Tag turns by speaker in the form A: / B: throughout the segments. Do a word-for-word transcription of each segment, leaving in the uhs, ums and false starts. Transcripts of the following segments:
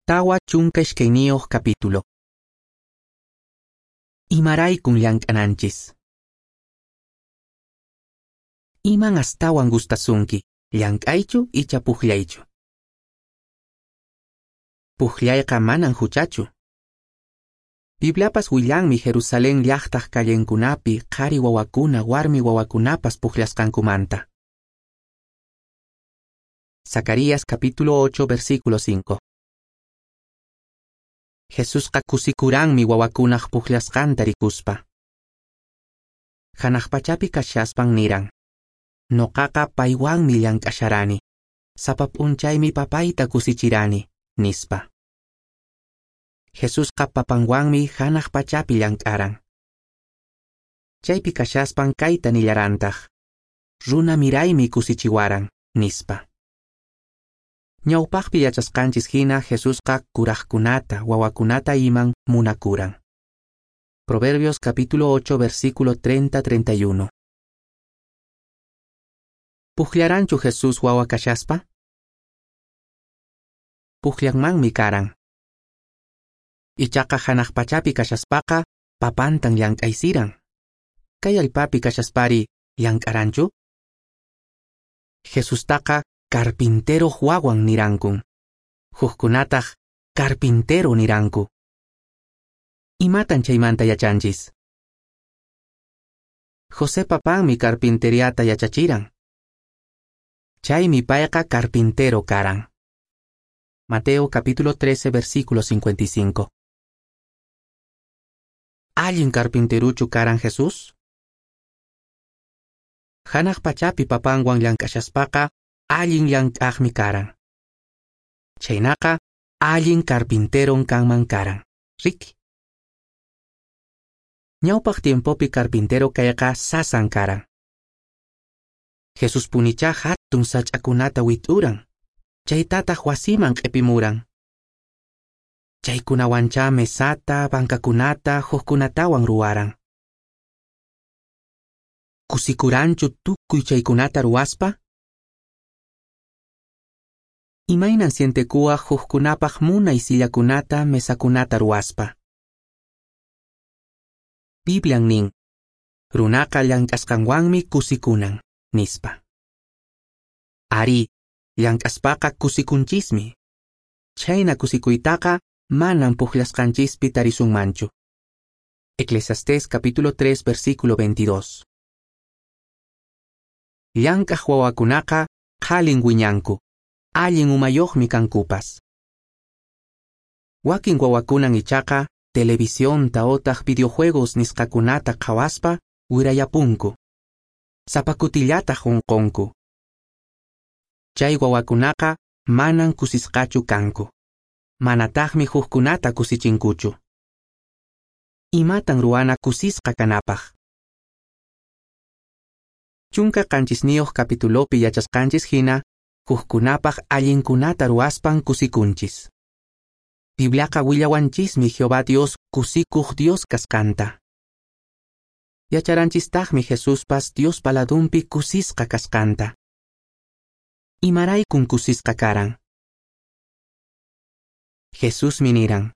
A: Tawa chunka iskayniyuq capítulo. Imaraykun llank'ananchis. Iman astawan gustasunki, llank'aychu icha puqllaychu? Puqllayqa manan huchachu. Bibliapas willanmi Jerusalén llaqtaq callenkunapi qhari wawakuna warmi wawakunapas puqllasqankumanta. Zacarías capítulo ocho versículo cinco. Jesusqa kusikuranmi wawakunaq puqllasqanta rikuspa. Hanaq pachapi kashaspan niran: Noqaqa paywanmi llank'asharani, sapa p'unchaymi papayta kusichirani, nispa. Jesusqa papanwanmi hanaq pachapi llank'aran. Chaypi kashaspan kayta nillarantaq: Runa miraymi kusichiwaran, nispa. Ñawpaqpi yachasqanchis hina Jesusqa kuraqkunata, wawakunata iman munakuran. Proverbios capítulo ocho versículo treinta treinta y uno. Puqllaranchu Jesús wawa kashaspa? Puqllanmanmi karan. Ichaqa hanaq pachapi kashaspaqa papantan llank'aysiran. Kay allpapi kashaspari llank'aranchu? Jesustaqa carpintero wawan nirankun. Hukkunataq carpintero niranku. Imatan chaymanta yachanchis? José papanmi carpinteriata yachachiran. Chaymi payqa carpintero karan. Mateo capítulo trece versículo cincuenta y cinco. Allin carpinteruchu karan Jesús? Hanaq pachapi papanwan llank'ashaspaqa allin llank'aqmi karan. Chaynaqa allin carpinteron kanman karan. Riki. Ñawpaq tiempopi carpintero kayqa sasan karan. Jesús punicha hatun sach'akunata wit'uran. Chaytataq wasiman q'ipimuran. Chaykunawancha mesata, bankakunata, hukkunatawan ruwaran. Kusikuranchu tukuy chaykunata ruwaspa? Imaynan sientekuwaq hukkunapaq munay sillakunata, mesakunata ruwaspa? Biblian nin: Runaqa llank'asqanwanmi kusikunan, nispa. Ari, llank'aspaqa kusikunchismi. Chhayna kusikuytaqa manan puqllasqanchispi tarisunmanchu. Eclesiastés capítulo tres versículo veintidós. Llank'aq wawakunaqa qhalin wiñanku, allin umayuqmi kankupas. Wakin wawakunan ichaqa televisionta otaq videojuegos nisqakunata qhawaspa wirayapunku. Sapa kutillataq unqunku. Chay wawakunaqa manan kusisqachu kanku. Manataqmi hukkunata kusichinkuchu. Imatan ruwana kusisqa kanapaq? Chunka qanchisniyuq capitulopi yachasqanchis hina hukkunapaq allinkunata ruwaspan kusikunchis. Bibliaqa willawanchismi Jehová Dios kusikuq Dios kasqanta. Yacharanchistaqmi Jesuspas Diospa ladunpi kusisqa kasqanta. Imaraykun kusisqa karan? Jesusmi niran: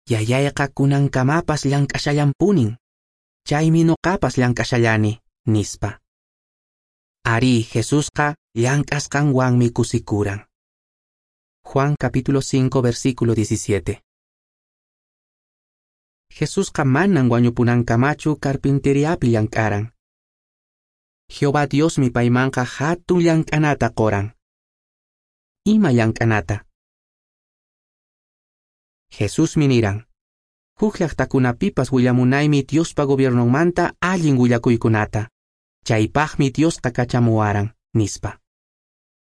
A: Yayayqa kunankamapas llank'ashallanpunin, chaymi noqapas llank'ashallani, nispa. Ari, Jesusqa llank'asqanwanmi kusikuran. Juan capítulo cinco versículo diecisiete. Jesusqa manan wañupunankamachu carpinteriapi llank'aran. Jehová Diosmi paymanqa hatun llank'anata qoran. Ima llank'anata? Jesusmi niran: Huk llaqtakunapipas willamunaymi Diospa gobiernonmanta allin willakuykunata. Chaypaqmi Diosqa kachamuwaran, nispa.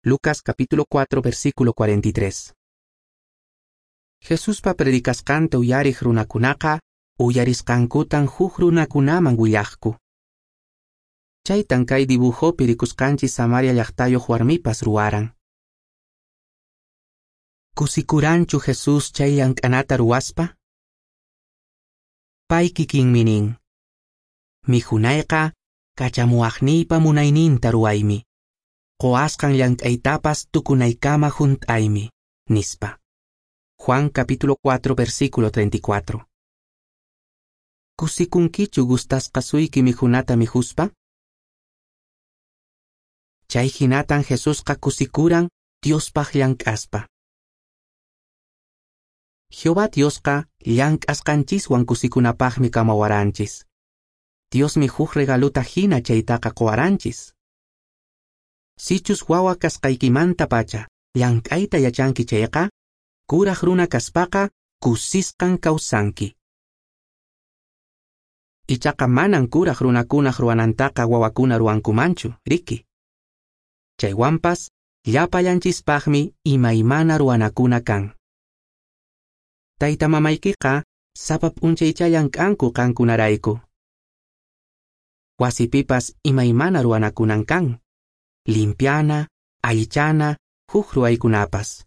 A: Lucas capítulo cuatro versículo cuarenta y tres. Jesuspa predicasqanta uyariq runakunaqa uyarisqankutan huk runakunaman willaqku. Chaytan kay dibujopi rikusqanchis Samaria llaqtayuq warmipas ruwaran. Kusikuranchu Jesús chay llank'anata ruwaspa? Pay kikinmi nin: Mikhunayqa kachamuwaqniypa munayninta ruwaymi. Qoasqan llank'aytapas tukunaykama hunt'aymi, nispa. Juan capítulo cuatro versículo treinta y cuatro. Kusikunkichu gustasqasuyki mikhunata mikhuspa? Chay hinatan Jesusqa kusikuran Diospaq llank'aspa. Jehová Diosqa llank'asqanchiswan kusikunapaqmi kamawaranchis. Diosmi huk regaluta hina chaytaqa qowaranchis. Sichus wawa kasqaykimantapacha llank'ayta yachanki chayqa, kuraq runa kaspaqa kusisqan kawsanki. Ichaqa manan kuraq runakunaq ruwanantaqa wawakuna ruwankumanchu, riki. Chaywanpas llapallanchispaqmi imaymana ruwanakuna kan. Tayta mamaykiqa sapa p'unchaycha llank'anku qankunarayku. Wasipipas imaymana ruwanakunan kan. Limpiana, allichana, huk ruwaykunapas.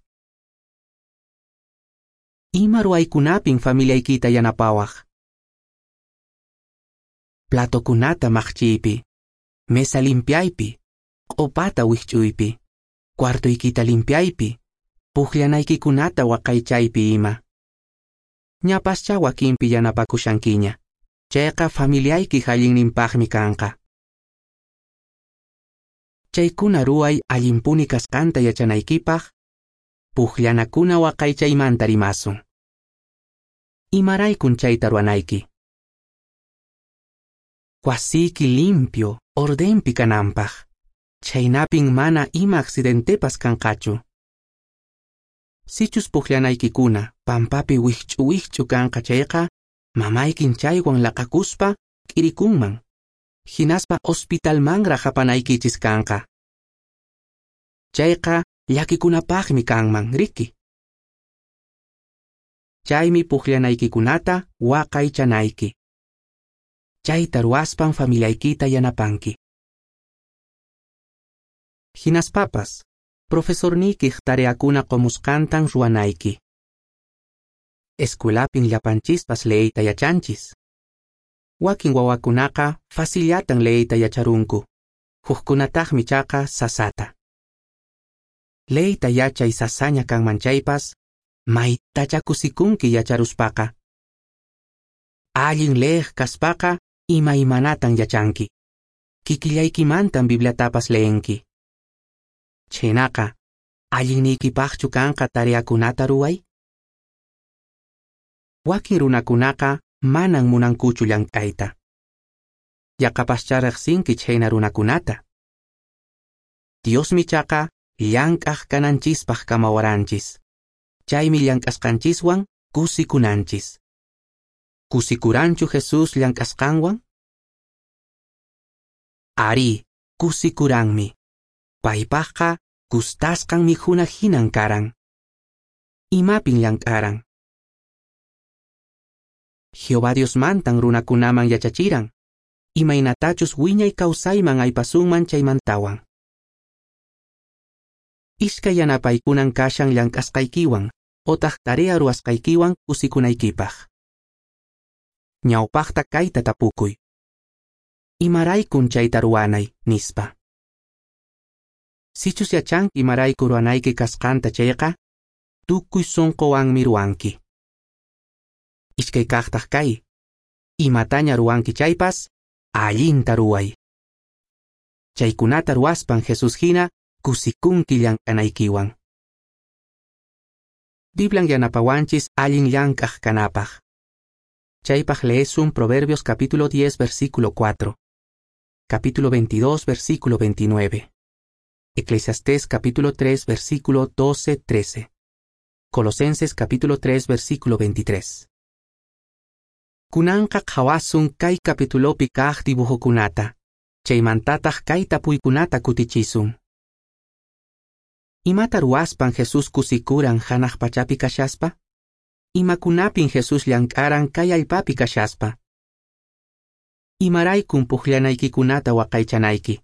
A: Ima ruwaykunapin familiaykita yanapawaq? Platokunata maqchiypi, mesa limpiaypi, q'upata wikch'uypi, cuartoykita limpiaypi, puqllanaykikunata waqaychaypi ima. Ñapascha wakinpi yanapakushankiña, chayqa familiaykiq allinninpaqmi kanqa. Chaykuna ruway allinpuni kasqanta yachanaykipaq, puqllanakuna waqaychaymanta rimasun. Imaraykun chayta ruwanayki? Wasiyki limpio, ordenpi kananpaq. Chhaynapin mana ima accidentepas kanqachu. Sichus puqllanaykikuna pampapi wikch'u wikch'u kanqa chayqa, mamaykin chaywan laqakuspa k'irikunman. Hinaspa hospitalmanraq apanaykichis kanqa. Chayqa llakikunapaqmi kanman, riki. Chaymi puqllanaykikunata waqaychanayki. Chayta ruwaspan familiaykita yanapanki. Hinaspapas, profesorniykiq tareakuna qomusqantan ruwanayki. Escuelapin llapanchispas leeyta yachanchis. Wakin wawakunaqa facillatan leeyta yacharunku, hukkunataqmi chaqa sasata. Leeyta yachay sasaña kanman chaypas, maytacha kusikunki yacharuspaqa. Allin leeq kaspaqa imaymanatan yachanki. Kikillaykimantan Bibliatapas leenki. Chhaynaqa, allinniykipaqchu kanqa tareakunata ruway? Wakin runakunaqa manan munankuchu llank'ayta. Yaqapaschá riqsinki chhayna runakunata. Diosmi chaqa llank'aq kananchispaq kamawaranchis. Chaymi llank'asqanchiswan kusikunanchis. Kusikuranchu Jesús llank'asqanwan? Ari, kusikuranmi. Paypaqqa gustasqan mikhuna hinan karan. Imapin llank'aran? Jehová Diosmantan runakunaman yachachiran, imaynatachus wiñay kawsayman aypasunman chaymantawan. Iskay yanapaykunan kashan llank'asqaykiwan otaq tarea ruwasqaykiwan kusikunaykipaq. Ñawpaqta kayta tapukuy. Imaraykun chayta ruwanay, nispa. Sichus yachanki imarayku ruwanayki kasqanta chayqa, tukuy sunquwanmi ruwanki. Iskay kaqtaq kay, imataña ruwanki chaypas, allinta ruway. Chaykunata ruwaspan Jesús hina kusikunki llank'anaykiwan. Biblian yanapawanchis allin llank'aq kanapaq. Chaypaq leesun Proverbios capítulo diez versículo cuatro, capítulo veintidós versículo veintinueve, Eclesiastés capítulo tres versículo doce trece, Colosenses capítulo tres versículo veintitrés. Kunanqa qhawasun kay capitulopi kaq dibujokunata, chaymantataq kay tapuykunata kutichisun. Imata ruwaspan Jesús kusikuran hanaq pachapi kashaspa? Imakunapin Jesús llank'aran kay allpapi kashaspa? Imaraykun puqllanaykikunata waqaychanayki?